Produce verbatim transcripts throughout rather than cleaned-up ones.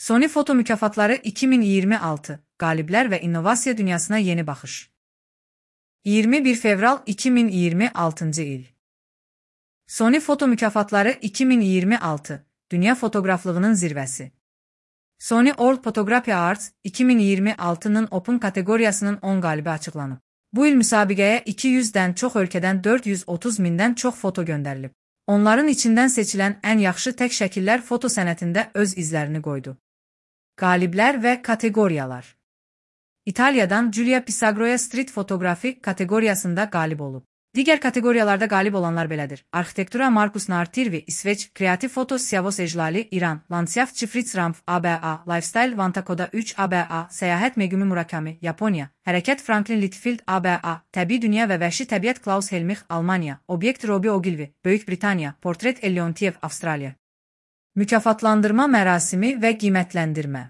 Sony Foto Mükafatları iki min iyirmi altı, Qaliblər və İnnovasiya Dünyasına Yeni Baxış. iyirmi bir fevral iki min iyirmi altıncı il. Sony Foto Mükafatları iki min iyirmi altı, Dünya Fotoqraflığının zirvəsi. Sony World Photography Awards iki min iyirmi altının Open kateqoriyasının on qalibi açıqlanıb. Bu il müsabiqəyə iki yüzdən çox ölkədən dörd yüz otuz mindən çox foto göndərilib. Onların içindən seçilən ən yaxşı tək şəkillər foto sənətində öz izlərini qoydu. Qaliblər və kateqoriyalar. İtaliyadan Giulia Pisagroya Street Fotografi kateqoriyasında qalib olub. Digər kateqoriyalarda qalib olanlar belədir: Arxitektura Markus Nartirvi, İsveç; Kreativ Foto Siavos Ejlali, İran; Landschaft Fritz Rampf, A B A; Lifestyle Vantakoda üç, A B A; Səyahət Megumi Murakami, Yaponiya; Hərəkət Franklin Litfield, A B A; Təbii Dünya və Vəhşi Təbiət Klaus Helmich, Almaniya; Obyekt Robbie Ogilvy, Böyük Britaniya; Portret Elleontiev, Avstraliya. Mükafatlandırma mərasimi və qiymətləndirmə.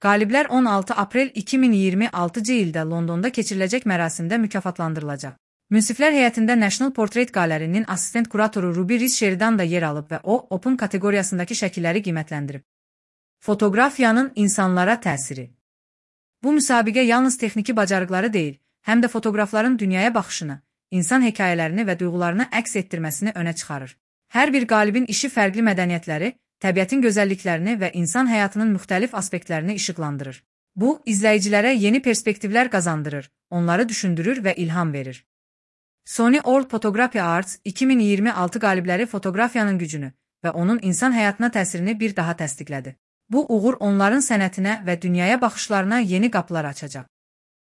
Qaliblər on altı aprel iki min iyirmi altıncı ildə Londonda keçiriləcək mərasimdə mükafatlandırılacaq. Münsiflər heyətində National Portrait Qalerinin assistent kuratoru Ruby Riz Sheridan da yer alıb və o, Open kateqoriyasındakı şəkilləri qiymətləndirib. Fotoqrafiyanın insanlara təsiri. Bu müsabiqə yalnız texniki bacarıqları deyil, həm də fotoqrafların dünyaya baxışını, insan hekayələrini və duyğularını əks etdirməsini önə çıxarır. Hər bir qalibin işi fərqli mədəniyyətləri, təbiətin gözəlliklərini və insan həyatının müxtəlif aspektlərini işıqlandırır. Bu, izləyicilərə yeni perspektivlər qazandırır, onları düşündürür və ilham verir. Sony World Photography Awards iki min iyirmi altı qalibləri fotoqrafiyanın gücünü və onun insan həyatına təsirini bir daha təsdiqlədi. Bu uğur onların sənətinə və dünyaya baxışlarına yeni qapılar açacaq.